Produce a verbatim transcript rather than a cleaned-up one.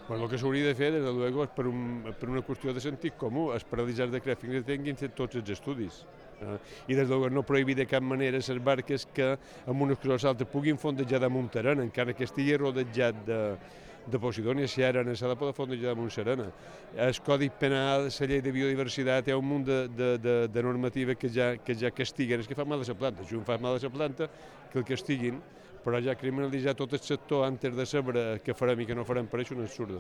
Bueno, el que s'hauria de fer, des de luego, és per, un, per una qüestió de sentit comú, és paralitzar el decret fins que tinguin fet tots els estudis. Eh? I des de luego no prohibir de cap manera les barques que amb unes coses altres puguin fondejar damunt terreny, encara que estigui rodejat de, de Posidònia, si ara s'ha de poder fondejar damunt serena. El Codi Penal, la llei de biodiversitat, hi ha un munt de, de, de, de normatives que ja, que ja castiguen, és que fa mal a la planta, si un fa mal a la planta, que el castiguin, però ja criminalitzar tot el sector antes de saber què farem i què no farem, per això no és absurd.